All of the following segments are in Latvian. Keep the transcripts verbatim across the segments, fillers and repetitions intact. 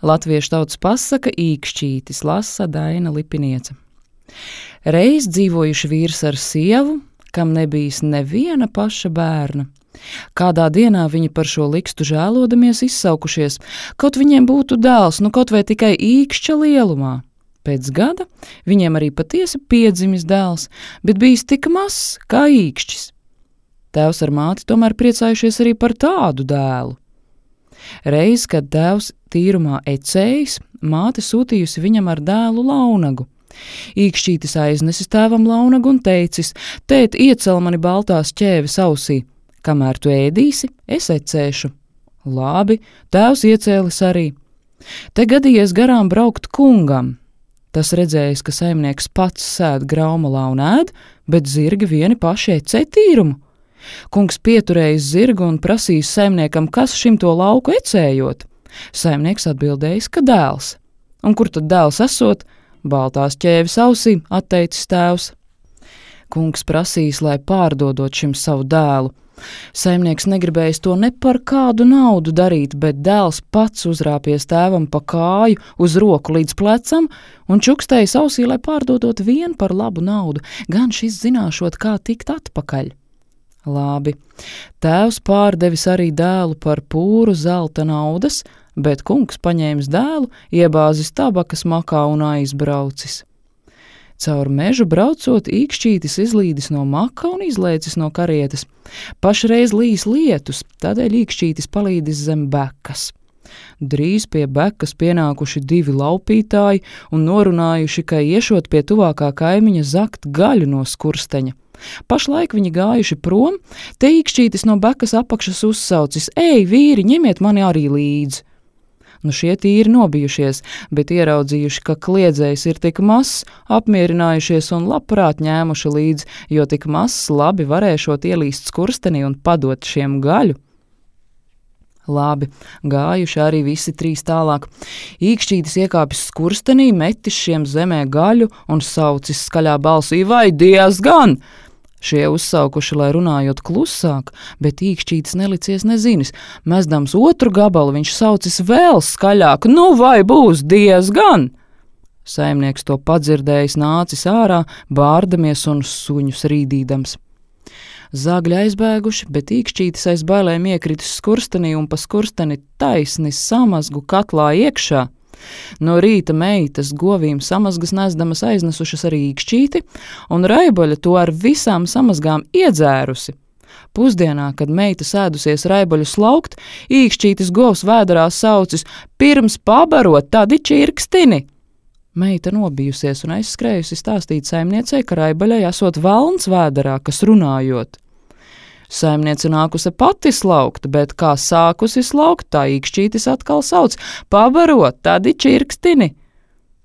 Latviešu tautas pasaka īkšķītis lasa Daina Lipiniece. Reiz dzīvojuši vīrs ar sievu, kam nebijis neviena paša bērna. Kādā dienā viņi par šo likstu žēlodamies izsaukušies, kaut viņiem būtu dēls, nu kaut vai tikai īkšķa lielumā. Pēc gada viņiem arī patiesi piedzimis dēls, bet bijis tik mazs kā īkšķis. Tēvs ar māti tomēr priecājušies arī par tādu dēlu. Reiz, kad tēvs tīrumā ecējis, māte sūtījusi viņam ar dēlu launagu. Īkšķītis aiznesis tēvam launagu un teicis: tēt, iecel mani baltās ķēves ausī, kamēr tu ēdīsi, es ecēšu. Labi, tēvs iecēlis arī. Te gadījies garām braukt kungam. Tas redzējis, ka saimnieks pats sēd graumalā un ēd, bet zirgi vieni paši ecē tīrumu. Kungs pieturējis zirgu un prasījis saimniekam, kas šim to lauku ecējot. Saimnieks atbildējis, ka dēls. Un kur tad dēls esot? Baltās ķēves ausī, atteicis tēvs. Kungs prasījis, lai pārdodot šim savu dēlu. Saimnieks negribējis to ne par kādu naudu darīt, bet dēls pats uzrāpies tēvam pa kāju uz roku līdz plecam un čukstējis ausī, lai pārdodot vien par labu naudu, gan šis zināšot, kā tikt atpakaļ. Labi, tēvs pārdevis arī dēlu par pūru zelta naudas, bet kungs paņēmis dēlu, iebāzis tabakas makā un aizbraucis. Caur mežu braucot, īkšķītis izlīdis no maka un izlēcis no karietes. Pašreiz līs lietus, tādēļ īkšķītis palīdis zem bekas. Drīz pie bekas pienākuši divi laupītāji un norunājuši, ka iešot pie tuvākā kaimiņa zakt gaļu no skursteņa. Pašlaik viņi gājuši prom, te īkšķītis no bekas apakšas uzsaucis: Ej, vīri, ņemiet mani arī līdzi! Nu šie tīri nobijušies, bet ieraudzījuši, ka kliedzējs ir tik mazs, apmierinājušies un labprāt ņēmuši līdzi, jo tik mazs labi varēšot ielīst skurstenī un padot šiem gaļu. Labi, gājuši arī visi trīs tālāk. Īkšķītis iekāpis skurstenī, metis šiem zemē gaļu un saucis skaļā balsī: vai diezgan! Šie uzsaukuši, lai runājot klusāk, bet īkšķītis nelicies nezinis. Mezdams otru gabalu, viņš saucis vēl skaļāk: nu vai būs diezgan! Saimnieks to padzirdējis nācis ārā, bārdamies un suņus rīdīdams. Zagļi aizbēguši, bet īkšķītis aiz bailēm iekritis skurstenī un pa skursteni taisni samazgu katlā iekšā. No rīta meitas govīm samazgas nesdamas aiznesušas arī īkšķīti, un raiboļa to ar visām samazgām iedzērusi. Pusdienā, kad meita sēdusies raiboļu slaukt, īkšķītis govs vēderā saucis: pirms pabarot, tādi čirkstini! Meita nobijusies un aizskrējusi stāstīt saimniecei, ka raibaļai esot velns vēderā, kas runājot. Saimniece nākusi pati slaukt, bet kā sākusi slaukt, tā īkšķītis atkal sauc: pabarot, tādi čirkstini!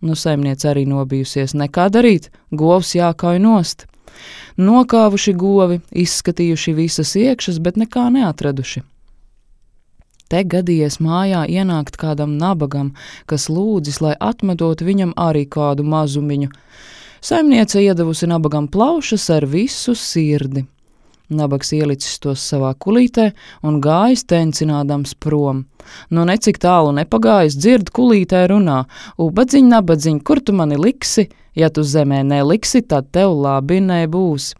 Nu, saimniece arī nobijusies, nekā darīt, govs jākauj nost. Nokāvuši govi, izskatījuši visas iekšas, bet nekā neatraduši. Te gadījies mājā ienākt kādam nabagam, kas lūdzis, lai atmedot viņam arī kādu mazumiņu. Saimniece iedavusi nabagam plaušas ar visu sirdi. Nabags ielicis tos savā kulītē un gājis tencinādams prom. Nu necik tālu nepagājis, dzird kulītē runā: ubadziņ, nabadziņ, kur tu mani liksi? Ja tu zemē neliksi, tad tev labi nebūs.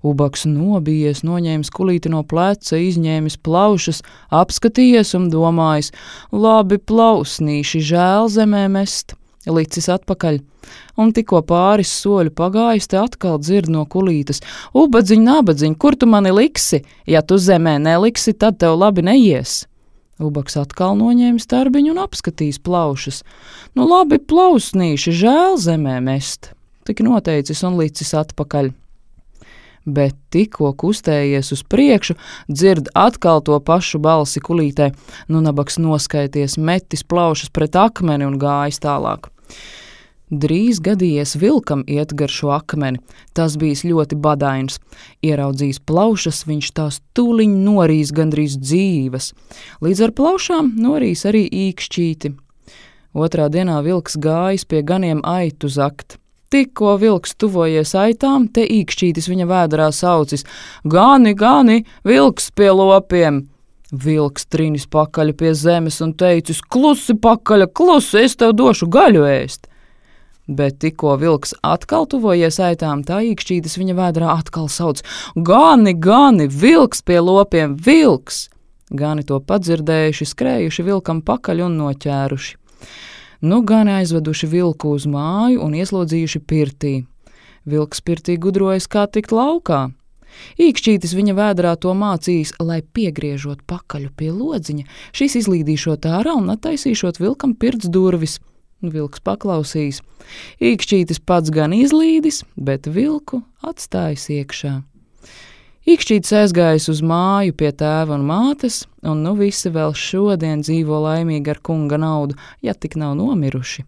Ubaks nobijies, noņēmis kulīti no pleca, izņēmis plaušas, apskatījies un domājis: labi plausnīši, žēl zemē mest. Licis atpakaļ, un tikko pāris soļu pagājis, te atkal dzird no kulītes: ubadziņ, nabadziņ, kur tu mani liksi? Ja tu zemē neliksi, tad tev labi neies. Ubaks atkal noņēmis tarbiņu un apskatījis plaušas. Nu labi plausnīši, žēl zemē mest. Tik noteicis un licis atpakaļ. Bet tikko kustējies uz priekšu, dzird atkal to pašu balsi kulītē. Nu nabags noskaities, metis plaušas pret akmeni un gājis tālāk. Drīz gadījies vilkam iet gar šo akmeni. Tas bijis ļoti badains. Ieraudzījis plaušas, viņš tās tūliņ norīs gandrīz dzīves. Līdz ar plaušām norīs arī īkšķīti. Otrā dienā vilks gājis pie ganiem aitu zakt. Tikko vilks tuvojies aitām, te īkšķītis viņa vēderā saucis: gani, gani, vilks pie lopiem! Vilks trinis pakaļ pie zemes un teicis: klusi pakaļ, klusi, es tev došu gaļu ēst. Bet tikko vilks atkal tuvojies aitām, tā īkšķītis viņa vēdrā atkal sauc: gani, gani, vilks pie lopiem, vilks! Gani to padzirdējuši, skrējuši vilkam pakaļ un noķēruši. Nu gani aizveduši vilku uz māju un ieslodzījuši pirtī. Vilks pirtī gudrojas, kā tikt laukā. Īkšķītis viņa vēdrā to mācījis, lai piegriežot pakaļu pie lodziņa, šis izlīdīšot ārā un attaisīšot vilkam pirts durvis. Vilks paklausīs. Īkšķītis pats gan izlīdis, bet vilku atstājis iekšā. Īkšķītis aizgājis uz māju pie tēva un mātes, un nu visi vēl šodien dzīvo laimīgi ar kunga naudu, ja tik nav nomiruši.